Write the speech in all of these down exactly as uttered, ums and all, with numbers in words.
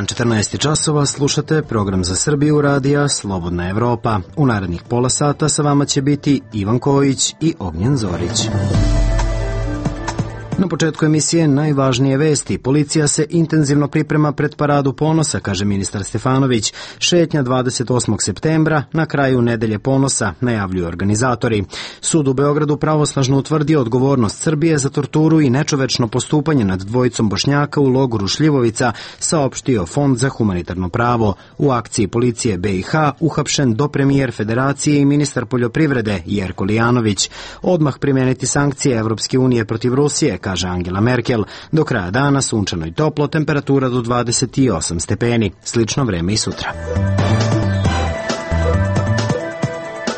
dan, četrnaest časova, slušate program za Srbiju radija Slobodna Evropa. U narednih pola sata sa vama će biti Ivan Kojić i Ognjen Zorić. Na početku emisije najvažnije vesti. Policija se intenzivno priprema pred Paradu ponosa, kaže ministar Stefanović. Šetnja dvadeset osmog septembra, na kraju nedelje ponosa, najavljuju organizatori. Sud u Beogradu pravosnažno utvrdio odgovornost Srbije za torturu i nečovečno postupanje nad dvojicom Bošnjaka u logoru Šljivovica, saopštio Fond za humanitarno pravo. U akciji policije B i H uhapšen dopremijer Federacije i ministar poljoprivrede Jerko Lijanović. Odmah primeniti sankcije Evropske unije protiv Rusije, kaže Angela Merkel. Do kraja dana sunčano i toplo, temperatura do dvadeset osam stepeni. Slično vreme i sutra.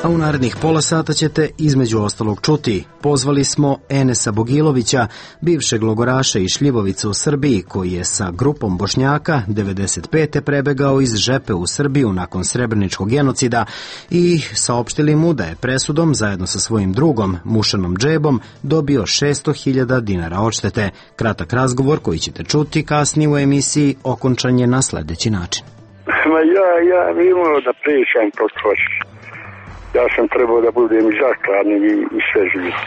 A u narednih pola sata ćete između ostalog čuti. Pozvali smo Enesa Bogilovića, bivšeg logoraša iz Šljivovice u Srbiji, koji je sa grupom Bošnjaka devedeset pete prebegao iz Žepe u Srbiju nakon srebreničkog genocida i saopštili mu da je presudom zajedno sa svojim drugom, Mušanom Džebom, dobio šesto hiljada dinara odštete. Kratak razgovor koji ćete čuti kasnije u emisiji okončan je na sledeći način. Ma ja, ja imao da pričam prosto. Ja sam trebao da budem i zakladni i, i sve živo.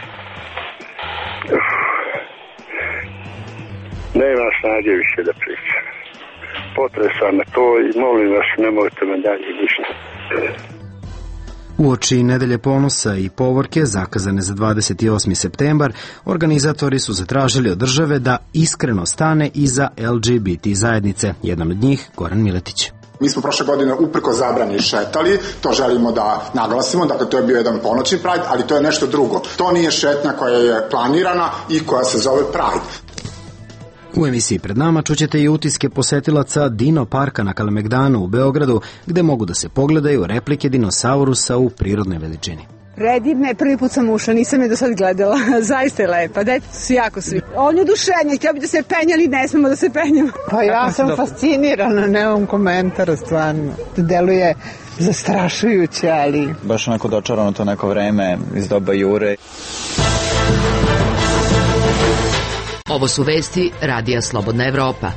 Nema snage više da pričam. Potresam na to i molim vas, nemojte me dalje ništa. Uoči nedelje ponosa i povorke, zakazane za dvadeset osmi septembar, organizatori su zatražili od države da iskreno stane iza L G B T zajednice. Jedan od njih, Goran Miletić. Mi smo prošle godine upreko zabrani šetali, to želimo da naglasimo, dakle to je bio jedan ponoćni Pride, ali to je nešto drugo. To nije šetnja koja je planirana i koja se zove Pride. U emisiji pred nama čućete i utiske posetilaca Dino parka na Kalemegdanu u Beogradu, gde mogu da se pogledaju replike dinosaurusa u prirodnoj veličini. Predivna je, prvi put sam ušla, nisam je do sad gledala, zaista je lepa, dete su jako svi. On je oduševljen, htio bi da se penja, ali ne smemo da se penjamo. Pa ja sam fascinirana, nemam komentara stvarno, deluje zastrašujuće, ali... Baš onako dočarano to neko vreme iz doba Jure. Ovo su vesti Radija Slobodna Evropa.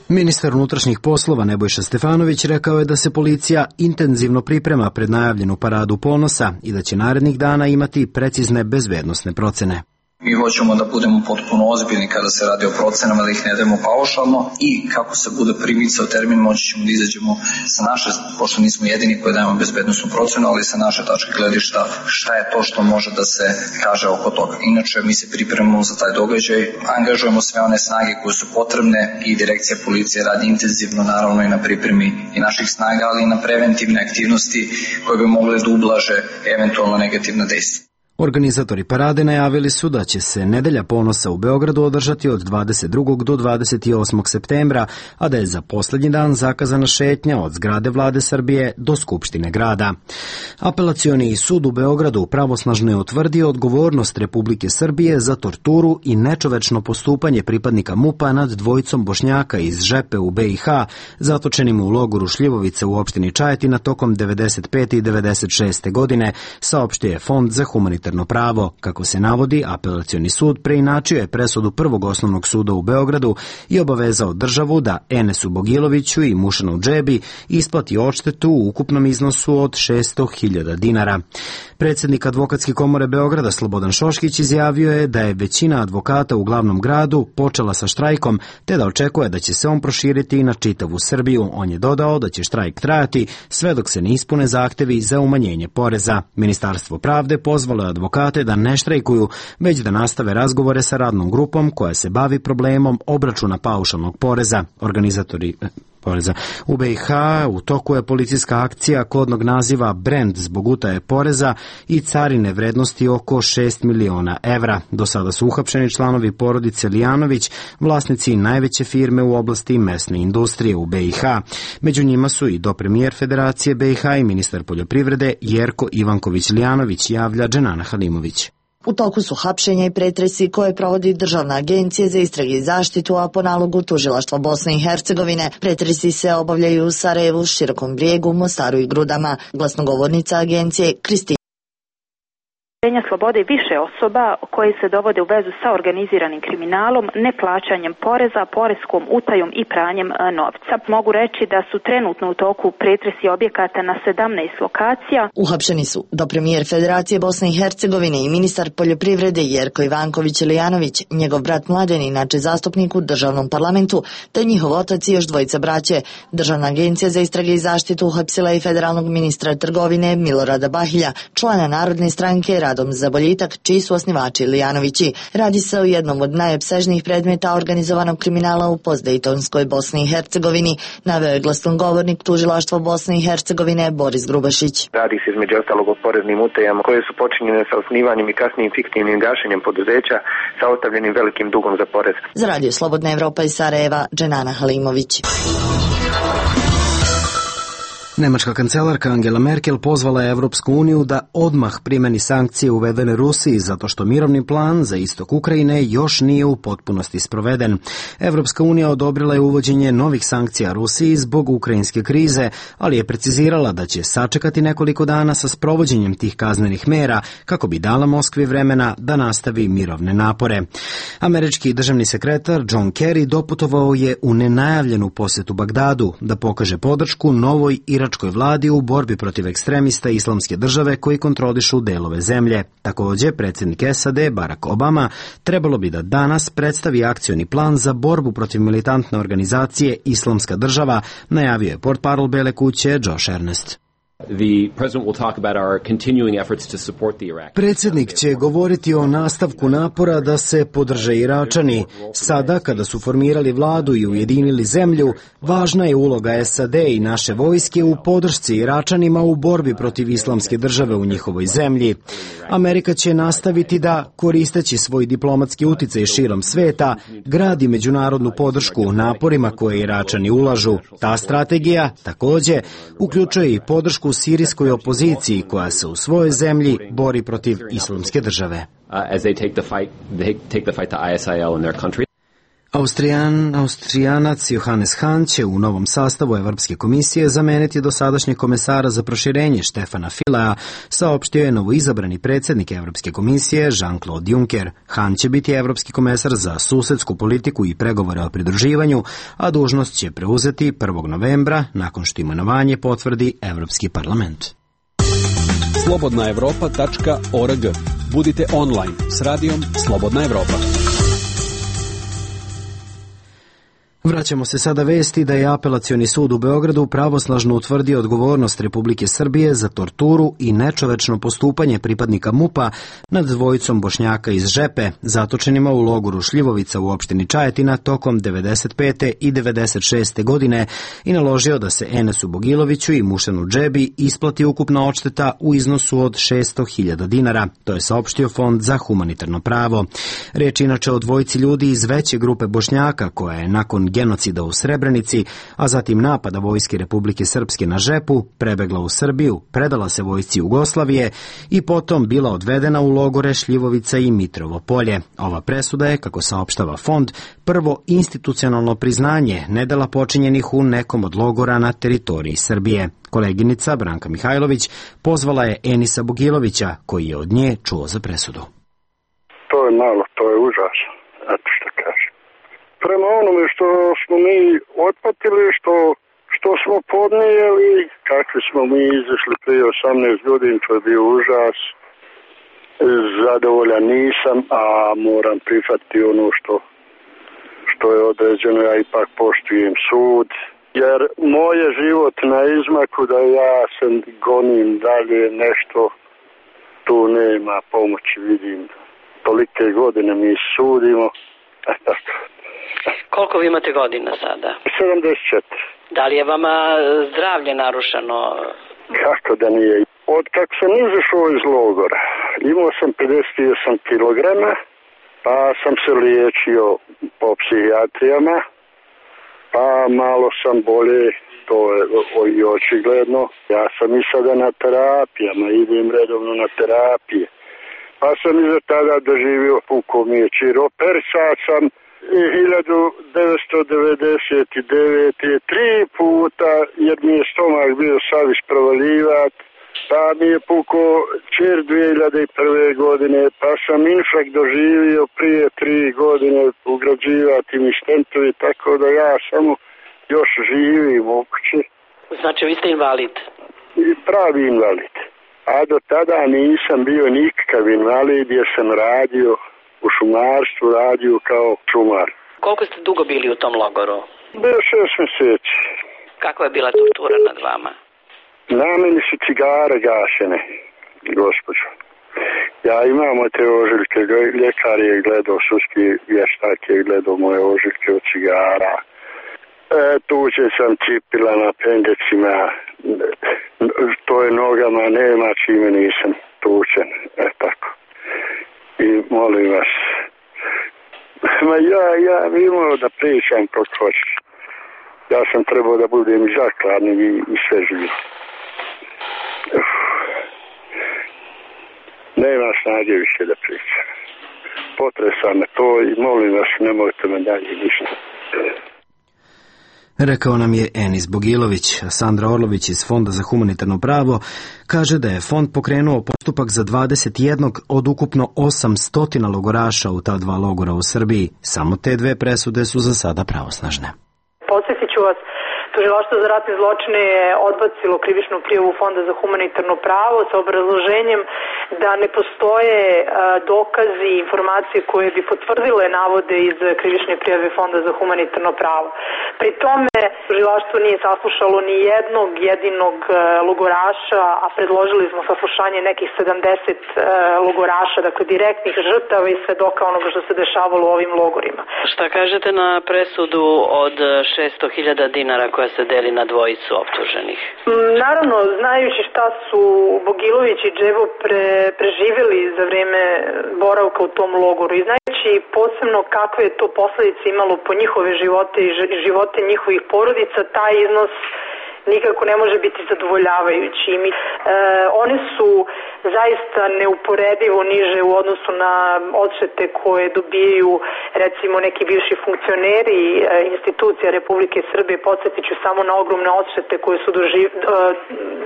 Ministar unutrašnjih poslova Nebojša Stefanović rekao je da se policija intenzivno priprema pred najavljenu Paradu ponosa i da će narednih dana imati precizne bezbednosne procene. Mi hoćemo da budemo potpuno ozbiljni kada se radi o procenama, da ih ne dajemo paušalno i kako se bude primicao termin, moći ćemo da izađemo sa naše, pošto nismo jedini koji dajemo bezbednostnu procenu, ali sa naše tačke gledišta šta je to što može da se kaže oko toga. Inače, mi se pripremamo za taj događaj, angažujemo sve one snage koje su potrebne i direkcija policije radi intenzivno naravno i na pripremi i naših snaga, ali i na preventivne aktivnosti koje bi mogle da ublaže eventualno negativna dejstva. Organizatori parade najavili su da će se nedelja ponosa u Beogradu održati od dvadeset drugog do dvadeset osmog septembra, a da je za poslednji dan zakazana šetnja od zgrade Vlade Srbije do Skupštine grada. Apelacioni sud u Beogradu pravosnažno je utvrdio odgovornost Republike Srbije za torturu i nečovečno postupanje pripadnika MUP-a nad dvojicom Bošnjaka iz Žepe u B i H, zatočenim u logoru Šljivovice u opštini Čajetina tokom devedeset pete i devedeset šeste godine, saopštio je Fond za humanitarno pravo. Kako se navodi, apelacioni sud preinačio je presudu Prvog osnovnog suda u Beogradu i obavezao državu da Enesu Bogiloviću i Mušanu Džebi isplati odštetu u ukupnom iznosu od šesto hiljada dinara. Predsednik Advokatske komore Beograda Slobodan Šoškić izjavio je da je većina advokata u glavnom gradu počela sa štrajkom, te da očekuje da će se on proširiti i na čitavu Srbiju. On je dodao da će štrajk trajati sve dok se ne ispune zahtevi za umanjenje poreza. Ministarstvo pravde pozvalo je advokate da ne štrajkuju, već da nastave razgovore sa radnom grupom koja se bavi problemom obračuna paušalnog poreza. Organizatori poreza. U B i H u toku je policijska akcija kodnog naziva Brend zbog utaje poreza i carine vrednosti oko šest miliona evra. Do sada su uhapšeni članovi porodice Lijanović, vlasnici najveće firme u oblasti mesne industrije u B i H. Među njima su i dopremijer Federacije B i H i ministar poljoprivrede Jerko Ivanković Lijanović, javlja Dženana Halimović. U toku su hapšenja i pretresi koje provodi Državna agencija za istrage i zaštitu, a po nalogu Tužilaštva Bosne i Hercegovine. Pretresi se obavljaju u Sarajevu, Širokom Brijegu, Mostaru i Grudama. Glasnogovornica agencije Kristina slobode više osoba koje se dovode u vezu sa organiziranim kriminalom, neplaćanjem poreza, poreskom utajom i pranjem novca. Mogu reći da su trenutno u toku pretresi objekata na sedamnaest lokacija. Uhapšeni su dopremijer Federacije Bosne i Hercegovine i ministar poljoprivrede Jerko Ivanković-Lijanović, njegov brat Mladen, inače zastupnik u državnom parlamentu, te njihov otac i još dvojica braće. Državna agencija za istrage i zaštitu uhapsila i federalnog ministra trgovine Milorada Bahilja, člana Narodne stranke Radom za boljitak, čiji su osnivači Lijanovići. Radi se o jednom od najopsežnijih predmeta organizovanog kriminala u postdejtonskoj Bosni i Hercegovini, naveo je glasnogovornik tužilaštva Bosne i Hercegovine Boris Grubašić. Radi se između ostalog o poreznim utajama koje su počinjene sa osnivanjem i kasnijim fiktivnim gašenjem poduzeća sa ostavljenim velikim dugom za porez. Za Radio Slobodna Evropa iz Sarajeva, Dženana Halimović. Nemačka kancelarka Angela Merkel pozvala je Evropsku uniju da odmah primeni sankcije uvedene Rusiji zato što mirovni plan za istok Ukrajine još nije u potpunosti sproveden. Evropska unija odobrila je uvođenje novih sankcija Rusiji zbog ukrajinske krize, ali je precizirala da će sačekati nekoliko dana sa sprovođenjem tih kaznenih mera kako bi dala Moskvi vremena da nastavi mirovne napore. Američki državni sekretar John Kerry doputovao je u nenajavljenu posjetu Bagdadu da pokaže podršku novoj iračkoj vladi u borbi protiv ekstremista islamske države koji kontrolišu delove zemlje. Također, predsjednik S A D Barack Obama trebalo bi da danas predstavi akcioni plan za borbu protiv militantne organizacije Islamska država, najavio je portparol Bele kuće Josh Ernest. Predsjednik će govoriti o nastavku napora da se podrže Iračani. Sada, kada su formirali vladu i ujedinili zemlju, važna je uloga S A D i naše vojske u podršci Iračanima u borbi protiv islamske države u njihovoj zemlji. Amerika će nastaviti da, koristeći svoj diplomatski uticaj širom sveta, gradi međunarodnu podršku naporima koje Iračani ulažu. Ta strategija, također, uključuje i podršku sirijskoj opoziciji koja se u svojoj zemlji bori protiv islamske države. Austrijan, Austrijanac Johannes Hahn će u novom sastavu Evropske komisije zameniti dosadašnjeg komesara za proširenje Štefana Filea, saopštio je novoizabrani predsjednik Evropske komisije Jean-Claude Juncker. Hahn će biti evropski komesar za susedsku politiku i pregovore o pridruživanju, a dužnost će preuzeti prvog novembra nakon što imenovanje potvrdi Evropski parlament. slobodna evropa tačka org. Budite online s radijom Slobodna Evropa. Vraćamo se sada vesti da je Apelacioni sud u Beogradu pravosnažno utvrdio odgovornost Republike Srbije za torturu i nečovečno postupanje pripadnika MUP-a nad dvojicom Bošnjaka iz Žepe, zatočenima u logoru Šljivovica u opštini Čajetina tokom devedeset pete i devedeset šeste godine i naložio da se Enesu Bogiloviću i Mušanu Džebi isplati ukupna odšteta u iznosu od šesto hiljada dinara. To je saopštio Fond za humanitarno pravo. Reč inače o dvojici ljudi iz veće grupe Bošnjaka koja je nakon genocida u Srebrenici, a zatim napada vojske Republike Srpske na Žepu, prebegla u Srbiju, predala se vojsci Jugoslavije i potom bila odvedena u logore Šljivovica i Mitrovo Polje. Ova presuda je, kako saopštava Fond, prvo institucionalno priznanje nedela počinjenih u nekom od logora na teritoriji Srbije. Koleginica Branka Mihajlović pozvala je Enisa Bogilovića, koji je od nje čuo za presudu. To je malo, to je užasno, eto što kažem. Prema onome što smo mi otpatili, što, što smo podnijeli, kakvi smo mi izašli prije osamnaest godina, to je bio užas. Zadovoljan nisam, a moram prihvatiti ono što, što je određeno, ja ipak poštujem sud. Jer moj je život na izmaku da ja se gonim dalje nešto, tu nema pomoći, vidim. Tolike godine mi sudimo, a tako. Koliko vi imate godina sada? sedamdeset četiri. Da li je vama zdravlje narušeno? Kako da nije. Od kako sam izašao iz logora, imao sam pedeset osam kilograma, pa sam se liječio po psihijatrijama, pa malo sam bolje, to je i očigledno. Ja sam i sada na terapijama, idem redovno na terapije. Pa sam iza tada doživio puko mi je čiroper, sad sam hiljadu devetsto devedeset devete tri puta, jer mi je stomak bio saviš provalivat, pa mi je puko čer dvije hiljade prve godine, pa sam infarkt doživio prije tri godine, ugrađivati mi štentovi, tako da ja samo još živim u kući. Znači vi ste invalid? Pravi invalid. A do tada nisam bio nikakav invalid jer sam radio u šumarstvu, radio kao šumar. Koliko ste dugo bili u tom logoru? Bio šest mjeseci. Kakva je bila tortura nad vama? Na meni su cigare gašene, gospođo. Ja imam te ožiljke, ljekar je gledao, sudski vještak je gledao moje ožiljke od cigara. E, tuđen sam cipila na pendecima, to je nogama, nema čime nisam tučen, e tako. I molim vas, ma ja, ja imao da pričam kod hoćeš. Ja sam trebao da budem i zakladni i, i sve živi. Nema snage više da pričam. Potresa me to i molim vas, nemojte me dalje ništa. Rekao nam je Enis Bogilović. Sandra Orlović iz Fonda za humanitarno pravo kaže da je fond pokrenuo postupak za dvadeset jedan od ukupno osamsto logoraša u ta dva logora u Srbiji. Samo te dve presude su za sada pravosnažne. Podsjetit ću vas, Tužilaštvo za ratne zločine je odbacilo krivičnu prijavu Fonda za humanitarno pravo sa obrazloženjem da ne postoje dokazi i informacije koje bi potvrdile navode iz krivične prijave Fonda za humanitarno pravo. Pri tome tužilaštvo nije saslušalo ni jednog jedinog logoraša, a predložili smo saslušanje nekih sedamdeset logoraša, dakle direktnih žrtava i svedoka onoga što se dešavalo u ovim logorima. Šta kažete na presudu od šesto hiljada dinara koja se deli na dvojicu optuženih? Naravno, znajući šta su Bogilović i Džebo pre, preživjeli za vrijeme boravka u tom logoru i znajući posebno kakve je to posljedice imalo po njihove živote i živote njihovih porodica, taj iznos nikako ne može biti zadovoljavajući. Mi, e, oni su zaista neuporedivo niže u odnosu na odštete koje dobijaju recimo neki bivši funkcioneri e, institucija Republike Srbije. Podsjetit ću samo na ogromne odštete koje su doživ, e,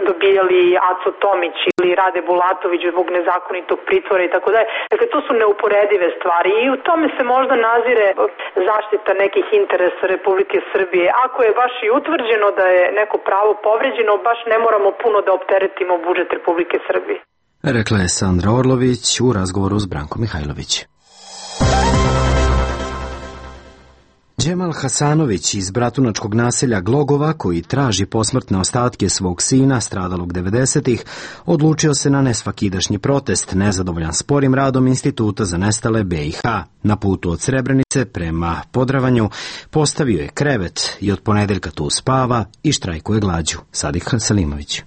dobijali Aco Tomić ili Rade Bulatović zbog nezakonitog pritvora i tako dalje. Dakle, to su neuporedive stvari i u tome se možda nazire zaštita nekih interesa Republike Srbije. Ako je baš i utvrđeno da je neko pravo povređeno, baš ne moramo puno da opteretimo budžet Republike Srbije. Rekla je Sandra Orlović u razgovoru s Brankom Mihajlović. Džemal Hasanović iz bratunačkog naselja Glogova, koji traži posmrtne ostatke svog sina, stradalog devedesetih, odlučio se na nesvakidašnji protest, nezadovoljan sporim radom Instituta za nestale B i H. Na putu od Srebrenice prema Podravanju postavio je krevet i od ponedeljka tu spava i štrajkuje glađu. Sadik Salimović.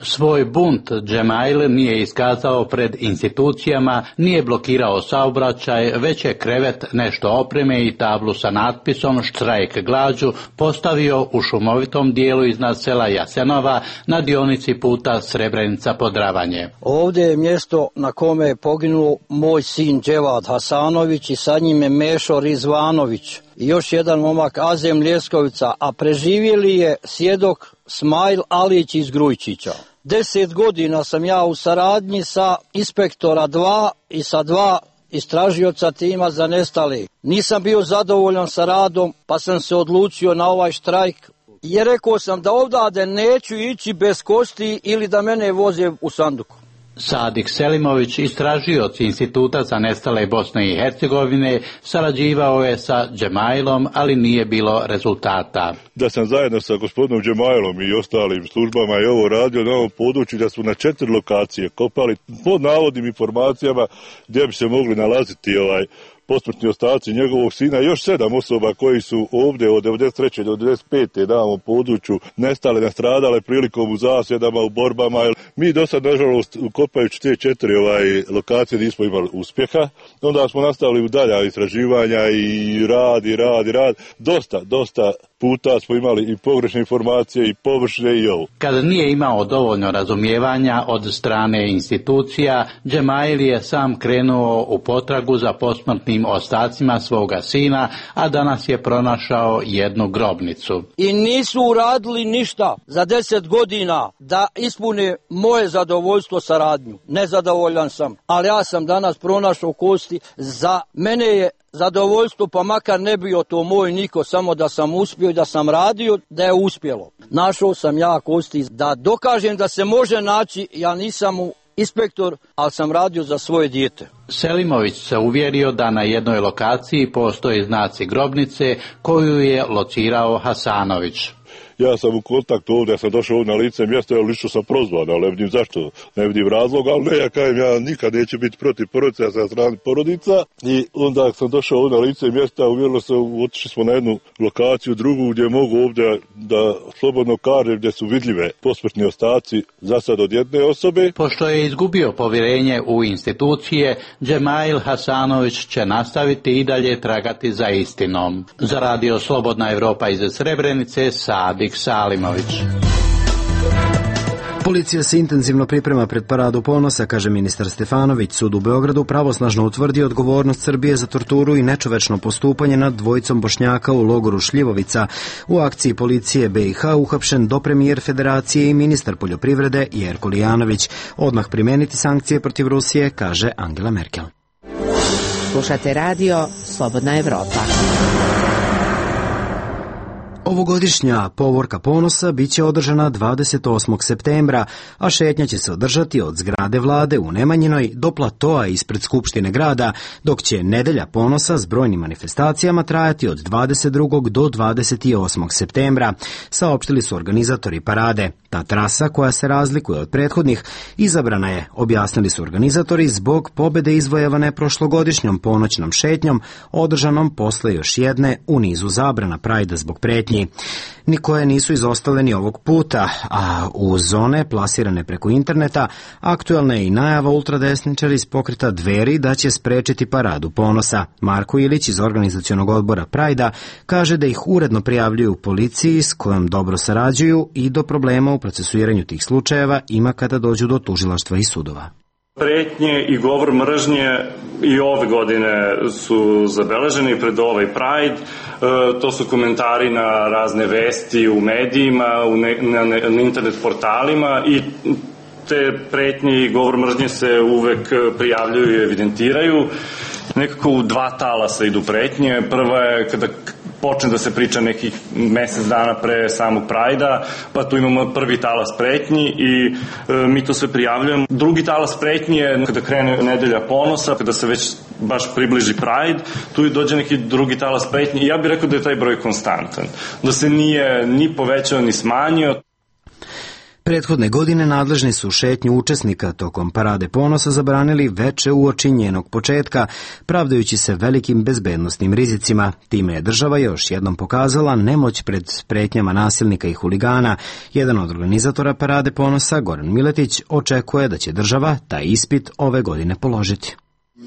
Svoj bunt Džemail nije iskazao pred institucijama, nije blokirao saobraćaj, već je krevet, nešto opreme i tablu sa natpisom štrajk glađu postavio u šumovitom dijelu iznad sela Jasenova na dionici puta Srebrenica-Podravanje. Ovdje je mjesto na kome je poginuo moj sin Dževad Hasanović i sa njime Mešo Rizvanović i još jedan momak Azem Ljeskovica, a preživjeli je svjedok Smajl Alić iz Grujčića. Deset godina sam ja u saradnji sa inspektora dva i sa dva istražioca tima za nestali. Nisam bio zadovoljan sa radom, pa sam se odlučio na ovaj štrajk. I rekao sam da ovdje neću ići bez kosti ili da mene voze u sanduku. Sadik Selimović, istražioc Instituta za nestale Bosne i Hercegovine, sarađivao je sa Džemailom, ali nije bilo rezultata. Da sam zajedno sa gospodinom Džemailom i ostalim službama i ovo radio na ovom području, da su na četiri lokacije kopali pod navodnim informacijama gdje bi se mogli nalaziti ovaj posmrtni ostaci njegovog sina i još sedam osoba koji su ovdje od devedeset treće do devedeset pete na ovom području nestale, nastradale prilikom u zasjedama, u borbama. Mi do sad, nažalost, kopajući te četiri ovaj, lokacije nismo imali uspjeha. Onda smo nastavili u dalja istraživanja i rad, i rad, i rad. Dosta, dosta puta smo imali i pogrešne informacije i površne i ovo. Kada nije imao dovoljno razumijevanja od strane institucija, Džemail je sam krenuo u potragu za posmrtnim ostacima svoga sina, a danas je pronašao jednu grobnicu. I nisu uradili ništa za deset godina da ispune moje zadovoljstvo saradnju. Nezadovoljan sam, ali ja sam danas pronašao kosti. Za mene je zadovoljstvo, pa makar ne bio to moj niko, samo da sam uspio i da sam radio, da je uspjelo. Našao sam ja kosti da dokažem da se može naći, ja nisam inspektor, ali sam radio za svoje dijete. Selimović se uvjerio da na jednoj lokaciji postoje znaci grobnice koju je locirao Hasanović. Ja sam u kontaktu ovdje, ja sam došao ovdje na lice mjesta, ali lično sam prozvan, ali ne vidim zašto, ne vidim razloga, ali ne, ja kajem, ja nikad neću biti protiv porodica, ja sam strani porodica. I onda sam došao ovdje na lice mjesta, uvjerilo se, otišli smo na jednu lokaciju, drugu, gdje mogu ovdje da slobodno kažem, gdje su vidljive posmrtni ostaci za sad od jedne osobe. Pošto je izgubio povjerenje u institucije, Džemail Hasanović će nastaviti i dalje tragati za istinom. Za radio Slobodna Evropa iz Srebrenice, Sadik Salimović. Policija se intenzivno priprema pred Paradu ponosa, kaže ministar Stefanović. Sud u Beogradu pravosnažno utvrdi odgovornost Srbije za torturu i nečovečno postupanje nad dvojicom Bošnjaka u logoru Šljivovica. U akciji policije B i H uhapšen dopremijer Federacije i ministar poljoprivrede Jerko Lijanović. Odmah primeniti sankcije protiv Rusije, kaže Angela Merkel. Slušate radio Slobodna Evropa. Ovogodišnja povorka ponosa biće održana dvadeset osmog septembra, a šetnja će se održati od zgrade vlade u Nemanjinoj do platoa ispred Skupštine grada, dok će nedelja ponosa s brojnim manifestacijama trajati od dvadeset drugog do dvadeset osmog septembra, saopštili su organizatori parade. Ta trasa, koja se razlikuje od prethodnih, izabrana je, objasnili su organizatori, zbog pobede izvojevane prošlogodišnjom ponoćnom šetnjom, održanom posle još jedne u nizu zabrana Prajda zbog pretnji. Nikoje nisu izostale ni ovog puta, a u zone plasirane preko interneta aktuelna je i najava ultradesničara iz pokreta Dveri da će sprečiti paradu ponosa. Marko Ilić iz organizacionog odbora Prajda kaže da ih uredno prijavljuju policiji s kojom dobro sarađuju i do problema u procesuiranju tih slučajeva ima kada dođu do tužilaštva i sudova. Pretnje i govor mržnje i ove godine su zabeleženi pred ovaj Pride. E, to su komentari na razne vesti u medijima, u ne, na, na internet portalima i te pretnje i govor mržnje se uvek prijavljuju i evidentiraju. Nekako u dva talasa idu pretnje. Prva je kada počne da se priča nekih mesec dana pre samog Prajda, pa tu imamo prvi talas pretnji i e, mi to sve prijavljujemo. Drugi talas pretnji je kada krene nedelja ponosa, kada se već baš približi Pride, tu i dođe neki drugi talas pretnji i ja bih rekao da je taj broj konstantan, da se nije ni povećao ni smanjio. Prethodne godine nadležni su šetnju učesnika tokom Parade ponosa zabranili veče uoči njenog početka, pravdajući se velikim bezbednosnim rizicima. Time je država još jednom pokazala nemoć pred pretnjama nasilnika i huligana. Jedan od organizatora Parade ponosa, Goran Miletić, očekuje da će država taj ispit ove godine položiti.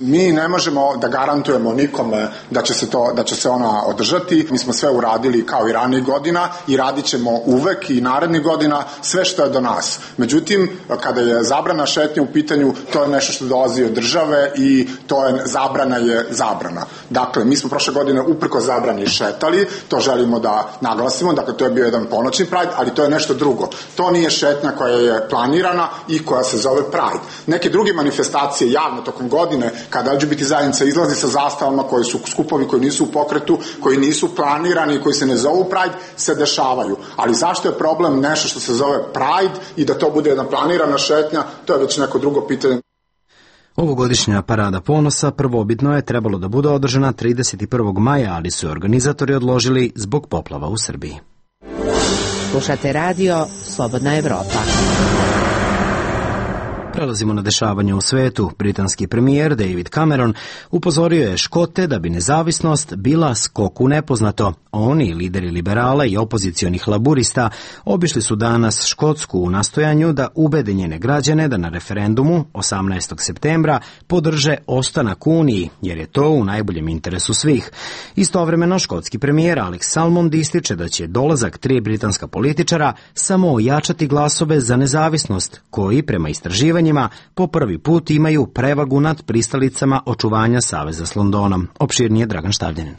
Mi ne možemo da garantujemo nikome da će se to, da će se ona održati. Mi smo sve uradili kao i ranijih godina i radit ćemo uvek i narednih godina sve što je do nas. Međutim, kada je zabrana šetnje u pitanju, to je nešto što dolazi od države i to je zabrana je zabrana. Dakle, mi smo prošle godine uprko zabrani šetali, to želimo da naglasimo, dakle to je bio jedan ponoćni Pride, ali to je nešto drugo. To nije šetnja koja je planirana i koja se zove Pride. Neke druge manifestacije javno tokom godine, kada L G B T zajednica izlazi sa zastavama koji su skupovi koji nisu u pokretu, koji nisu planirani, koji se ne zovu Pride, se dešavaju. Ali zašto je problem nešto što se zove Pride i da to bude jedna planirana šetnja, to je već neko drugo pitanje. Ovogodišnja Parada ponosa prvobitno je trebalo da bude održana trideset prvog maja, ali su organizatori odložili zbog poplava u Srbiji. Slušate radio Slobodna Evropa. Prelazimo na dešavanje u svetu. Britanski premijer David Cameron upozorio je Škote da bi nezavisnost bila skok u nepoznato. Oni, lideri liberala i opozicionih laburista, obišli su danas Škotsku u nastojanju da ubede njene građane da na referendumu osamnaestog septembra podrže ostanak u Uniji, jer je to u najboljem interesu svih. Istovremeno, škotski premijer Alex Salmond ističe da će dolazak tri britanska političara samo ojačati glasove za nezavisnost, koji, prema istraživanjima, po prvi put imaju prevagu nad pristalicama očuvanja saveza s Londonom. Opširnije Dragan Štavljanin.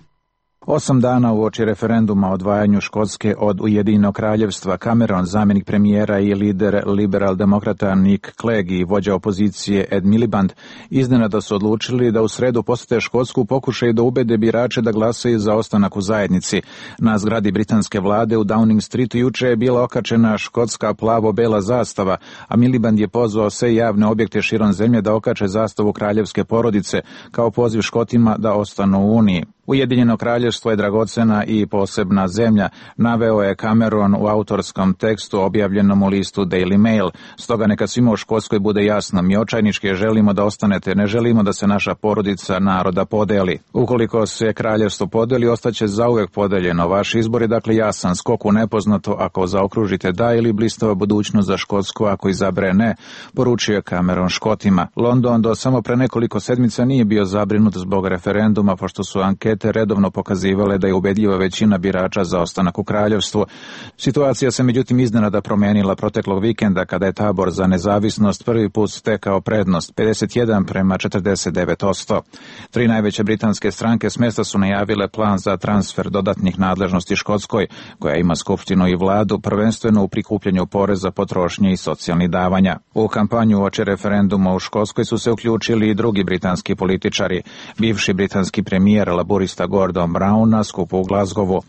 Osam dana uoči referenduma o odvajanju Škotske od Ujedinjenog kraljevstva, Cameron, zamjenik premijera i lider liberal-demokrata Nick Clegg i vođa opozicije Ed Miliband iznenada su odlučili da u sredu posete Škotsku u pokušaju da ubede birače da glasaju za ostanak u zajednici. Na zgradi britanske vlade u Downing Streetu juče je bila okačena škotska plavo-bela zastava, a Miliband je pozvao sve javne objekte širom zemlje da okače zastavu kraljevske porodice kao poziv Škotima da ostanu u Uniji. Ujedinjeno kraljevstvo je dragocena i posebna zemlja, naveo je Cameron u autorskom tekstu objavljenom u listu Daily Mail. Stoga neka svima u Škotskoj bude jasno, mi očajnički želimo da ostanete, ne želimo da se naša porodica naroda podeli. Ukoliko se kraljevstvo podeli, ostaće zauvek podeljeno. Vaš izbor je dakle jasan, skok u nepoznato ako zaokružite da ili blistava budućnost za Škotsku ako izabere ne, poručio je Cameron Škotima. London do samo pre nekoliko sedmica nije bio zabrinut zbog referenduma, pošto su ankete te redovno pokazivale da je ubedljiva većina birača za ostanak u kraljevstvu. Situacija se međutim iznenada promenila proteklog vikenda kada je tabor za nezavisnost prvi put stekao prednost pedeset jedan prema četrdeset devet posto. Tri najveće britanske stranke s mesta su najavile plan za transfer dodatnih nadležnosti Škotskoj, koja ima skupštinu i vladu, prvenstveno u prikupljanju poreza, potrošnje i socijalnih davanja. U kampanju uoči referenduma u Škotskoj su se uključili i drugi britanski političari. Bivši britanski premijer laburista Gordon Brown na skupu u Glasgowu.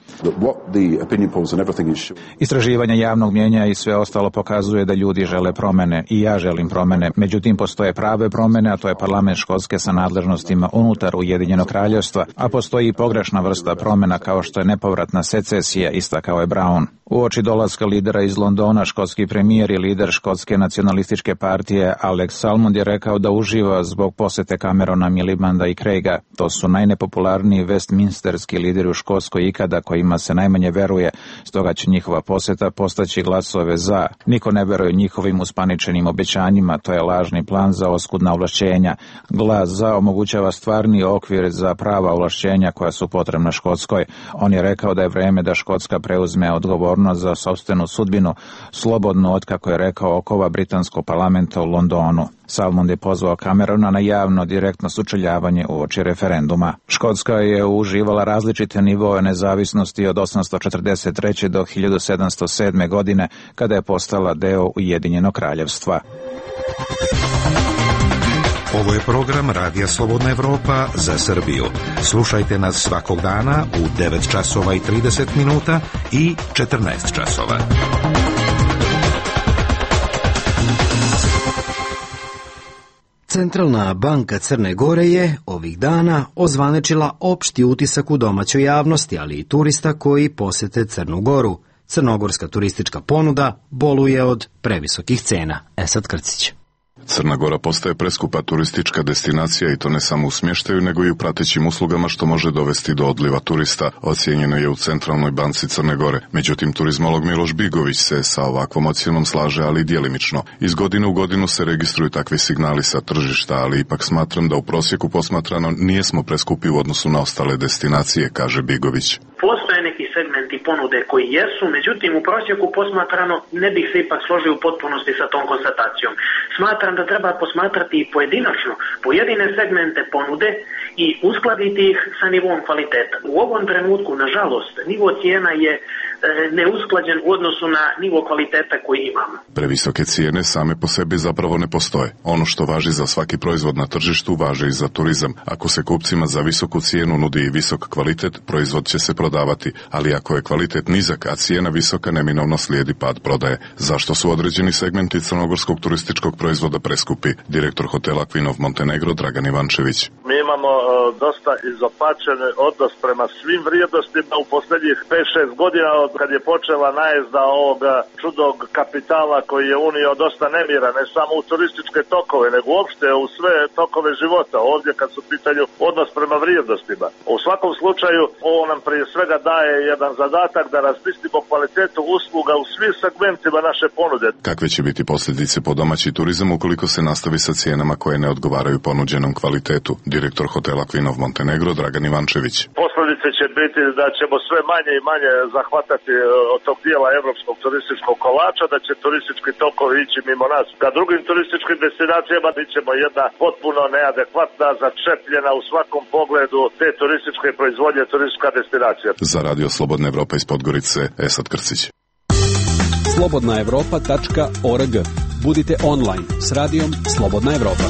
Istraživanja javnog mjenja i sve ostalo pokazuje da ljudi žele promene i ja želim promene. Međutim, postoje prave promene, a to je parlament Škotske sa nadležnostima unutar Ujedinjenog kraljevstva, a postoji i pogrešna vrsta promena kao što je nepovratna secesija, istakao je Brown. Uoči dolaska lidera iz Londona, škotski premijer i lider škotske nacionalističke partije Alex Salmond je rekao da uživa zbog posete Camerona, Milibanda i Craiga. To su najnepopularniji westminsterski lideri u Škotskoj ikada, kojima se najmanje veruje, stoga će njihova poseta postaći glasove za. Niko ne veruje njihovim uspaničenim obećanjima, to je lažni plan za oskudna ovlašćenja. Glas za omogućava stvarni okvir za prava ovlašćenja koja su potrebna Škotskoj. On je rekao da je vreme da Škotska preuzme odgovornost za sopstvenu sudbinu, slobodno od, kako je rekao, okova britanskog parlamenta u Londonu. Salmond je pozvao Camerona na javno direktno sučeljavanje uoči referenduma. Škotska je uživala različite nivoe nezavisnosti od osamsto četrdeset treće do hiljadu sedamsto sedme. godine, kada je postala deo Ujedinjenog kraljevstva. Ovo je program Radija Slobodna Evropa za Srbiju. Slušajte nas svakog dana u devet časova i trideset minuta i četrnaest časova. Centralna banka Crne Gore je ovih dana ozvanečila opšti utisak u domaćoj javnosti, ali i turista koji posete Crnu Goru. Crnogorska turistička ponuda boluje od previsokih cena. Esad Krcić. Crna Gora postaje preskupa turistička destinacija i to ne samo u smještaju, nego i u pratećim uslugama, što može dovesti do odliva turista, ocijenjeno je u Centralnoj banci Crne Gore. Međutim, turizmolog Miloš Bigović se sa ovakvom ocjenom slaže, ali djelimično. Iz godine u godinu se registruju takvi signali sa tržišta, ali ipak smatram da u prosjeku posmatrano nijesmo preskupi u odnosu na ostale destinacije, kaže Bigović. Postoje neki segmenti ponude koji jesu, međutim u prosjeku posmatrano ne bih se ipak složio u potpunosti sa tom konstatacijom. Smatram da treba posmatrati i pojedinačno pojedine segmente ponude i uskladiti ih sa nivom kvaliteta. U ovom trenutku, nažalost, nivo cijena je e, neusklađen u odnosu na nivo kvaliteta koji imamo. Previsoke cijene same po sebi zapravo ne postoje. Ono što važi za svaki proizvod na tržištu važi i za turizam. Ako se kupcima za visoku cijenu nudi i visok kvalitet, proizvod će se prodavati, ali ako je kvalitet nizak, a cijena visoka, neminovno slijedi pad prodaje. Zašto su određeni segmenti crnogorskog turističkog proizvoda preskupi? Direktor hotela Queen of Montenegro Dragan Ivančević. Mi imamo dosta izopačen odnos prema svim vrijednostima u posljednjih pet šest godina od kad je počela najezda ovoga čudog kapitala koji je unio dosta nemira, ne samo u turističke tokove, nego uopšte u sve tokove života, ovdje kad su pitanju odnos prema vrijednostima. U svakom slučaju, ovo nam prije svega daje jedan zadatak da razmislimo kvalitetu usluga u svim segmentima naše ponude. Kakve će biti posljedice po domaći turizam ukoliko se nastavi sa cijenama koje ne odgovaraju ponuđenom kvalitetu? Direktor hotela Kvinov Montenegro Dragan Ivančević. Posljedice će biti da ćemo sve manje i manje zahvatati od tog dijela evropskog turističkog kolača, da će turistički tokovi ići mimo nas. Ka drugim turističkim destinacijama bit ćemo jedna potpuno neadekvatna, začepljena u svakom pogledu te turističke proizvodnje turistička destinacija. Za Radio Slobodna Evropa iz Podgorice, Esad Krcić. slobodna evropa tačka org. Budite online s radijom Slobodna Evropa.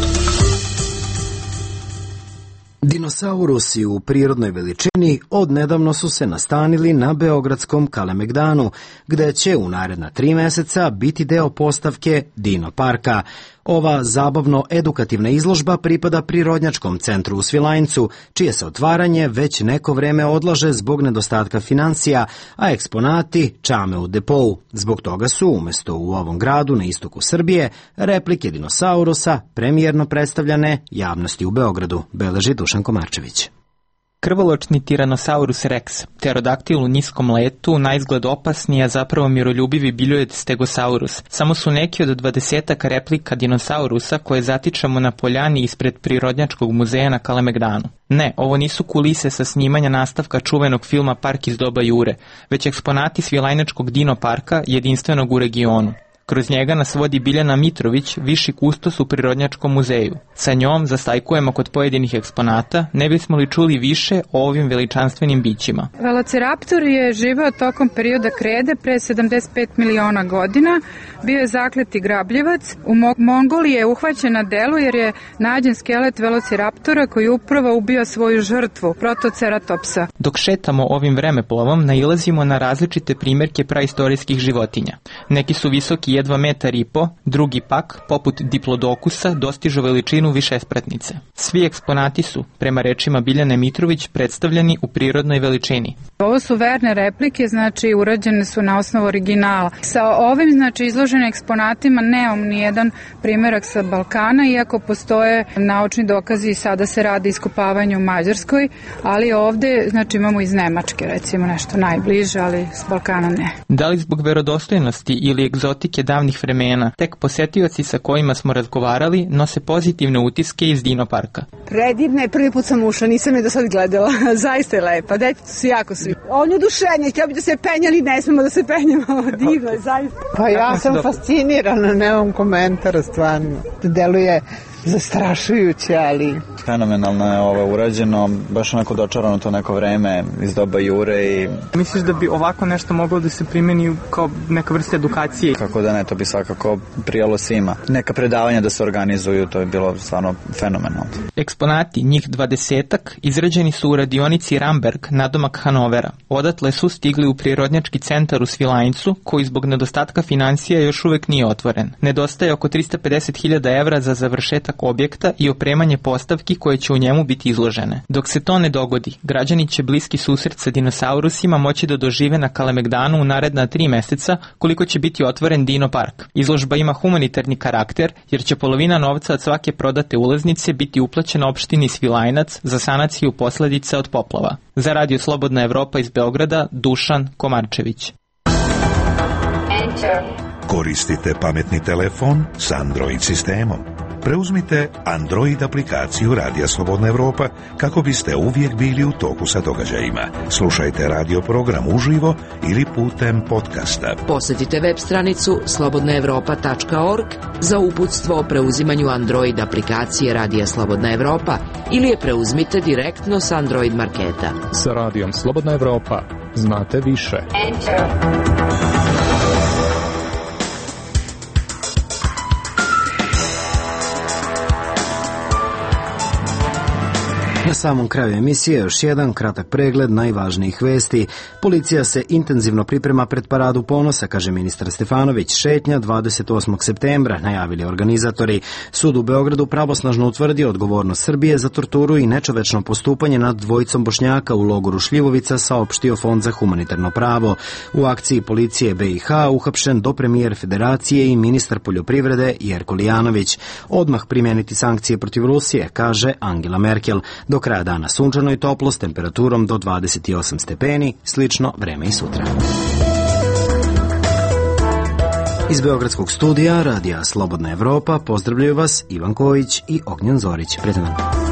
Dinosaurusi u prirodnoj veličini odnedavno su se nastanili na beogradskom Kalemegdanu, gde će u naredna tri meseca biti deo postavke Dino parka. Ova zabavno-edukativna izložba pripada Prirodnjačkom centru u Svilajncu, čije se otvaranje već neko vreme odlaže zbog nedostatka financija, a eksponati čame u depou. Zbog toga su, umesto u ovom gradu na istoku Srbije, replike dinosaurusa premijerno predstavljane javnosti u Beogradu, beleži Dušan Komarčević. Krvoločni Tyrannosaurus rex, pterodaktil u niskom letu, na izgled opasni, a zapravo miroljubivi biljojed Stegosaurus. Samo su neki od dvadesetak replika dinosaurusa koje zatičemo na poljani ispred Prirodnjačkog muzeja na Kalemegdanu. Ne, ovo nisu kulise sa snimanja nastavka čuvenog filma Park iz doba Jure, već eksponati Svilajnačkog Dino parka, jedinstvenog u regionu. Kroz njega nas vodi Biljana Mitrović, viši kustos u Prirodnjačkom muzeju. Sa njom zastajkujemo kod pojedinih eksponata, ne bismo li čuli više o ovim veličanstvenim bićima. Velociraptor je živeo tokom perioda krede pre sedamdeset pet miliona godina, bio je zakleti grabljivac. U Mongoliji je uhvaćen na delu jer je nađen skelet velociraptora koji upravo ubio svoju žrtvu, Protoceratopsa. Dok šetamo ovim vremeplovom, nailazimo na različite primjerke praistorijskih životinja. Neki su visoki jedva metar i po, drugi pak, poput diplodokusa, dostižu veličinu višespratnice. Svi eksponati su, prema rečima Biljane Mitrović, predstavljeni u prirodnoj veličini. Ovo su verne replike, znači urađene su na osnovu originala. Sa ovim, znači, izloženim eksponatima nemam nijedan primjerak sa Balkana, iako postoje naučni dokazi i sada se radi iskopavanje u Mađarskoj, ali ovde, znači, imamo iz Nemačke, recimo nešto najbliže, ali s Balkana ne. Da li zbog verodostojnosti ili egzotike davnih vremena, tek posetioci sa kojima smo razgovarali nose pozitivne utiske iz Dino parka. Predivna je, prvi put sam ušla, nisam je do sad gledala, zaista je lepa, deci su jako svi. On je oduševljen, htio bi da se penjali, ne smemo da se penjamo, divno je, zaista. Pa ja sam fascinirana, nemam komentara, stvarno, deluje zastrašujuće, ali... Fenomenalno je ovo urađeno, baš onako dočarano to neko vreme iz doba Jure i... Misliš da bi ovako nešto moglo da se primeni kao neka vrsta edukacije? Kako da ne, to bi svakako prijalo svima. Neka predavanja da se organizuju, to je bilo stvarno fenomenalno. Eksponati, njih dvadesetak, izrađeni su u radionici Ramberg, nadomak Hanovera. Odatle su stigli u Prirodnjački centar u Svilajncu, koji zbog nedostatka financija još uvek nije otvoren. Nedostaje oko trista pedeset hiljada evra za završetak objekta i opremanje postavki koje će u njemu biti izložene. Dok se to ne dogodi, građani će bliski susret sa dinosaurusima moći da dožive na Kalemegdanu u naredna tri meseca, koliko će biti otvoren Dino park. Izložba ima humanitarni karakter, jer će polovina novca od svake prodate ulaznice biti uplaćena opštini Svilajnac za sanaciju posledica od poplava. Za Radio Slobodna Evropa iz Beograda, Dušan Komarčević. Koristite pametni telefon s Android sistemom. Preuzmite Android aplikaciju Radija Slobodna Evropa kako biste uvijek bili u toku sa događajima. Slušajte radio program uživo ili putem podcasta. Posjetite web stranicu slobodna evropa tačka org za uputstvo o preuzimanju Android aplikacije Radija Slobodna Evropa ili je preuzmite direktno s Android marketa. Sa Radijom Slobodna Evropa znate više. Enter. Na samom kraju emisije još jedan kratak pregled najvažnijih vesti. Policija se intenzivno priprema pred Paradu ponosa, kaže ministar Stefanović. Šetnja dvadeset osmog septembra, najavili organizatori. Sud u Beogradu pravosnažno utvrdio odgovornost Srbije za torturu i nečovečno postupanje nad dvojicom Bošnjaka u logoru Šljivovica, saopštio Fond za humanitarno pravo. U akciji policije be i ha uhapšen dopremijer Federacije i ministar poljoprivrede Jerko Lijanović. Odmah primijeniti sankcije protiv Rusije, kaže Angela Merkel. Do kraja dana sunčano i toplo s temperaturom do dvadeset osam stepeni, slično vreme i sutra. Iz Beogradskog studija Radija Slobodna Evropa pozdravljaju vas Ivan Kojić i Ognjen Zorić. Prijatno.